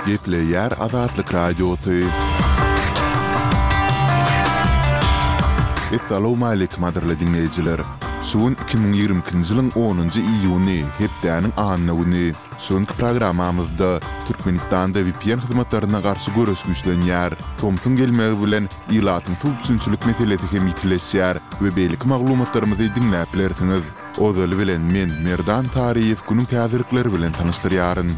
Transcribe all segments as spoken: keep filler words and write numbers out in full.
Gepleýär Azatlyk Radiosy. Essalawmaleýkim gadyrly diňleýjiler! Şu gün iki müň ýigrimi ikinji ýylyň onunjy iýuny, hepdäniň anna güni. Şu günki programmamyzda Türkmenistanda vpn hyzmatlaryna garşy göreş güýçlenýär. Tomsuň gelmegi bilen ilatyň suw üpjünçilik meselesi hem ýitileşýär we beýleki maglumatlarymyzy diňläp bilersiňiz. Ozaly bilen men, Merdan Saryýew günüň täzelikleri bilen tanyşdyrýaryn.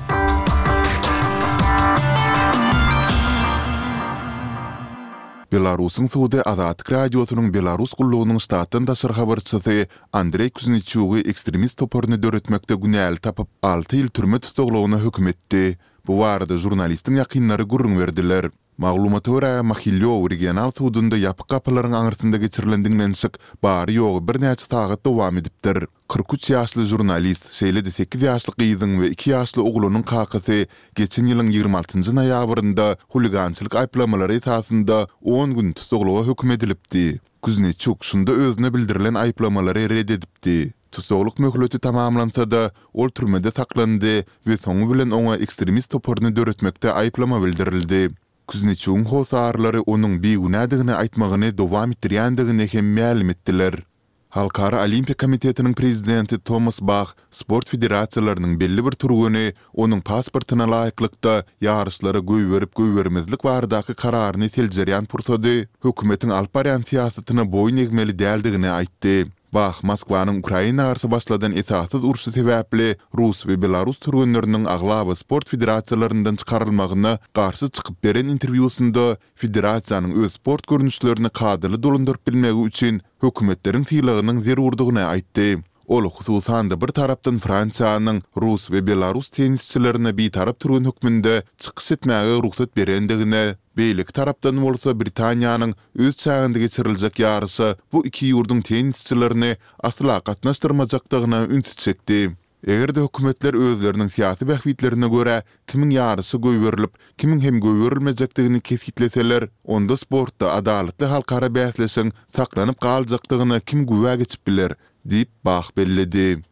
Belarusyň sudy Azatlyk Radiosynyň Belarus gullugynyň ştatdan daşary habarçysy Andreý Kuzneçugy ekstremist toparyny döretmekde günäli tapyp, alty ýyl türme tussaglygyna höküm etdi. Bu barada žurnalistiň ýakynlary gürrüň berdiler. Maglumata görä, Mahilýow regional sudunda ýapyk gapylaryň aňyrsynda geçirilen diňlenişik bary-ýogy birnäçe sagat dowam edipdir. Kyrk üç ýaşly žurnalist, şeýle-de sekiz ýaşly gyzyň we iki ýaşly oglunyň kakasy geçen ýylyň ýigrimi altynjy noýabrynda huligançylyk aýyplamalary esasynda on gün tussaglyga höküm edilipdi. Kuzneçuk şunda özüne bildirilen aýyplamalary ret edipdi. Tussaglyk möhleti tamamlansa-da, ol türmede saklandy we soňy bilen oňa ekstremist toparyny döretmekde aýyplama bildirildi. Kuzneçugyň hossarlary onuň bigünädigini aýtmagyny dowam etdirýändigini hem mälim etdiler. Halkara Olimpiýa komitetiniň prezidenti Tomas Bah sport federasiýalarynyň belli bir türgeni onuň pasportyna laýyklykda ýaryşlara goýberip-goýbermezlik baradaky kararyny seljerýän pursady hökümetiň alyp barýan syýasatyna boýun egmeli däldigini aýtdy. Bah Moskwanyň Ukraina garşy başladan esassyz urşy sebäpli rus we belarus türgenleriniň aglaba sport federasiýalaryndan çykarylmagyna garşy çykyp beren interwýusynda federasiýanyň öz sport görnüşlerini kadaly dolandyryp bilmegi üçin hökümetleriň sylagynyň zerurdygyny aýtdy. Ol, hususan-da, bir tarapdan Fransiýanyň rus we belarus tennisçilerine bitarap türgen hökmünde çykyş etmäge rugsat berendigine, beýleki tarapdan bolsa Britaniýanyň öz çäginde geçiriljek ýaryşa bu iki ýurduň tennisçilerini asla gatnaşdyrmajakdygyna ünsi çekdi. Eger-de hökümetler özleriniň syýasy bähbitlerine görä kimiň ýaryşa goýberilip, kimiň hem goýberilmejekdigini kesgitleseler, onda sportda adalatly halkara bäsleşigiň saklanyp galjakdygyna kim güwä geçip biler? diýip, Bah belledi.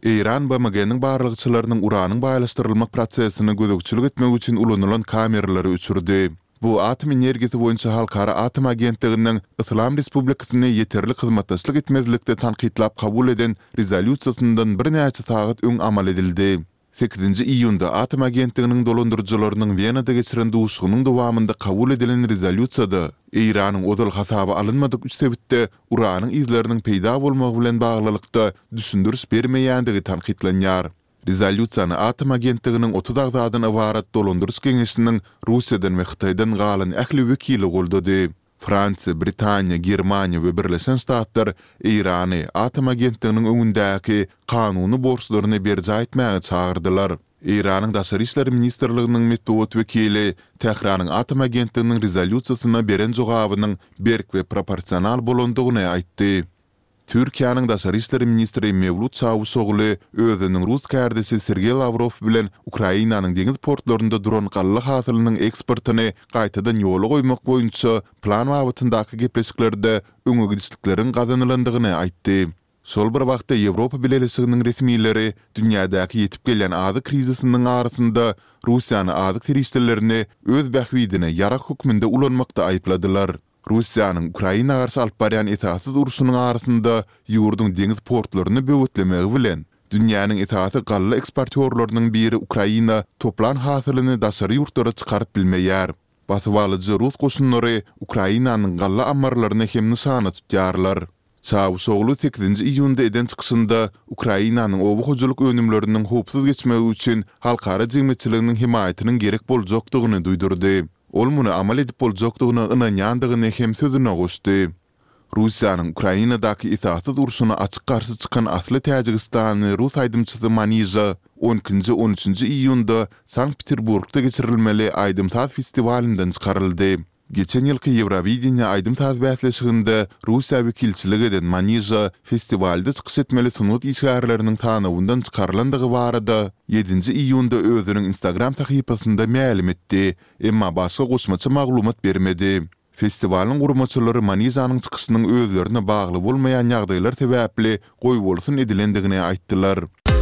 Eýran BMG-niň barlagçylarynyň uranyň baýlaşdyrylmak prosesine gözegçilik etmek üçin ulanylan kameralary öçürdi. Bu Atom energiýasy boýunça halkara atom agentliginiň Yslam Respublikasyny ýeterlik hyzmatdaşlyk etmezlikde tankytlap kabul eden rezolýusiýasyndan birnäçe sagat öň amal edildi. Sekizinji iýunda Atom agentliginiň dolandyryjylarynyň Wenada geçiren duşuşygynyň dowamynda kabul edilen rezolýusiýada Eýranyň ozal hasaba alynmadyk üç sebitde uranyň yzlarynyň peýda bolmagy bilen baglylykda düşündiriş bermeýändigi tankytlanýar. Rezolýusiýany Atom agentliginiň otuz agzadan ybarat dolandyryş geňeşiniň Russiýadan we Hytaýdan galan ähli wekili goldady. Fransiýa, Britaniýa, Germaniýa we Birleşen Ştatlar Eýrany Atom agentliginiň öňündäki kanuny borçlaryny berjaý etmäge çagyrdylar. Eýranyň Daşary işler ministrliginiň metbugat wekili Tähranyň Atom agentliginiň rezolýusiýasyna beren jogabynyň berk we proporsional bolandygyny aýtdy. Türkiýäniň daşary işler ministri Mewlut Çawuşogly özüniň rus kärdeşi Sergeý Lawrow bilen Ukrainanyň deňiz portlarynda duran galla hasylynyň eksportyny gaýtadan ýola goýmak boýunça plan babatyndaky gepleşiklerde öňe gidişlikleriň gazanylandygyny aýtdy. Şol bir wagtda Ýewropa Bileleşiginiň resmileri dünýädäki ýetip gelýän azyk krizisiniň arasynda Russiýany azyk serişdelerini öz bähbidine ýarag hökmünde ulanmakda aýypladylar. Russiýanyň Ukraina garşy alyp barýan esassyz urşunyň arasynda ýurduň deňiz portlaryny böwetlemegi bilen, dünýäniň esasy galla eksportýorlarynyň biri Ukraina toplan hasylyny daşary ýurtlara çykaryp bilmeýär. Basybalyjy rus goşunlary Ukrainanyň galla ammarlaryny hem nyşana tutýarlar. Çawuşoglu sekizinji iýunda eden çykyşynda Ukrainanyň oba hojalyk önümleriniň howpsuz geçmegi üçin halkara jemgyýetçiliginiň hemaýatynyň gerek boljakdygyny duýdurdy. Ol muny amal edip boljakdygyna ynanýandygyny hem sözüne goşdy. Russiýanyň Ukrainadaky esassyz urşuna açyk garşy çykan asly täjigistanly rus aýdymçysy Manija on ikinji-on üçünji iýunda Sankt-Peterburgda geçirilmeli aýdym-saz festiwalyndan çykaryldy. Geçen ýylky Ýewrowideniýe aýdym-saz bäsleşiginde Russiýa wekilçilik eden Manija festiwalda çykyş etmeli sungat işgärleriniň sanawyndan çykarylandygy barada ýedinji iýunda özüniň Instagram sahypasynda mälim etdi, emma başga goşmaça maglumat bermedi. Festiwalyň guramaçylary Manijanyň çykyşynyň özlerine bagly bolmaýan ýagdaýlar sebäpli goýbolsun edilendigini aýtdylar.